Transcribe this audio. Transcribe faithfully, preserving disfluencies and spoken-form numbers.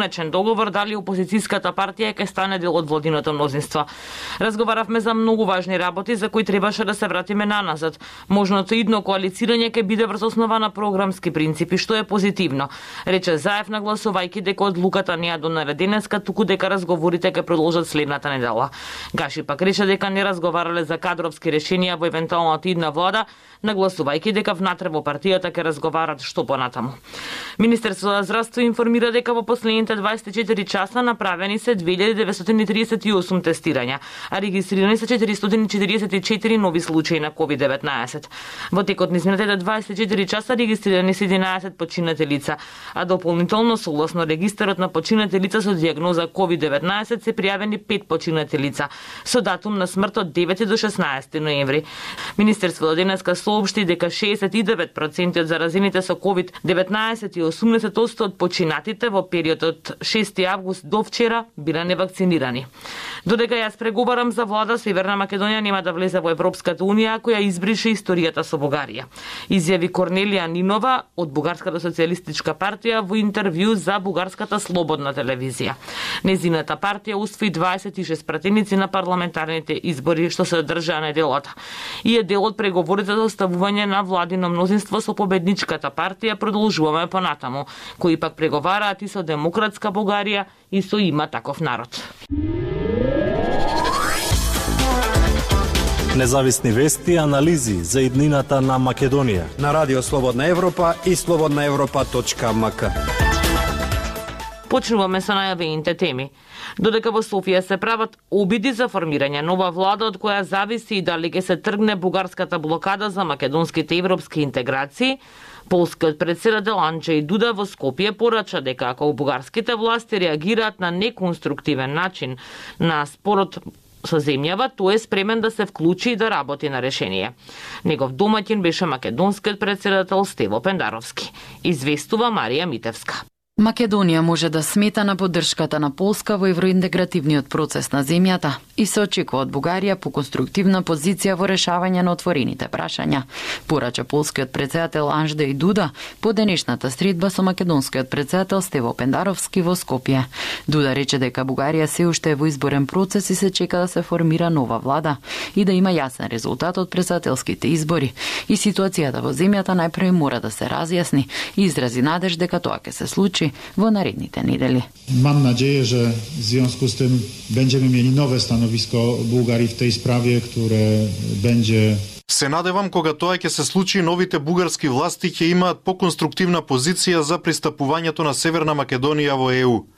Нечен договор дали опозицијската партија ќе стане дел од владиното мнозинство. Разговаравме за многу важни работи за кои требаше да се вратиме наназад. Можното идно коалицирање ќе биде врз основа на програмски принципи, што е позитивно. Рече Заев, нагласувајќи дека одлуката не ја донесе денеска, туку дека разговорите ќе продолжат следната недела. Гаши пак рече дека не разговарале за кадровски решенија во евентуалната идна влада, нагласувајќи дека внатре во партијата ќе разговарат што понатаму. Министерството за здравство информира дека во последните дваесет и четири часа направени се две илјади деветстотини триесет и осум тестирања, а регистрирани се четиристотини четиридесет и четири нови случаи на ковид деветнаесет. Во текот на изминатите дваесет и четири часа регистрирани се единаесет починати лица, а дополнително согласно регистарот на починати лица со дијагноза ковид деветнаесет се пријавени пет починати лица со датум на смрт од девети до шеснаесети ноември. Министерството денеска соопшти дека шеесет и девет проценти од заразените со ковид деветнаесет и осумдесет одсто од починатите во период од шести август до вчера биле невакцинирани. Додека јас преговарам за влада, Северна Македонија нема да влезе во Европската унија ако ја избрише историјата со Бугарија, изјави Корнелија Нинова од Бугарската социјалистичка партија во интервју за Бугарската слободна телевизија. Незината партија усвои дваесет и шест пратеници на парламентарните избори што се одржаа неделата и е дел од преговорите за оставување на владино мнозинство со победничката партија. Продолжуваме понатаму, кои пак преговараат и со Демократска Бугарија и со Има таков народ. Независни вести и анализи за иднината на Македонија на Радио Слободна Европа и слободна европа точка ем ка. Почнуваме со најавените теми. Додека во Софија се прават обиди за формирање нова влада од која зависи и дали ќе се тргне бугарската блокада за македонските европски интеграции, полскиот претседател Анџеј Дуда во Скопје порача дека ако бугарските власти реагираат на неконструктивен начин на спорот со земјава, тој е спремен да се вклучи и да работи на решение. Негов домаќин беше македонскиот претседател Стево Пендаровски. Известува Марија Митевска. Македонија може да смета на поддршката на Полска во евроинтегративниот процес на земјата и се очекува од Бугарија по конструктивна позиција во решавање на отворените прашања, порача полскиот претседател Анџеј Дуда по денешната средба со македонскиот претседател Стево Пендаровски во Скопје. Дуда рече дека Бугарија се уште е во изборен процес и се чека да се формира нова влада и да има јасен резултат од претседателските избори и ситуацијата во земјата најпрво мора да се разјасни и изрази надеж дека тоа ќе се случи во наредните недели. Mam nadzieję, że w związku z tym będziemy mieli nowe stanowisko Bułgarii w tej sprawie, które będzie... Се надевам кога тоа ќе се случи, новите бугарски власти ќе имаат поконструктивна позиција за пристапувањето на Северна Македонија во Е У.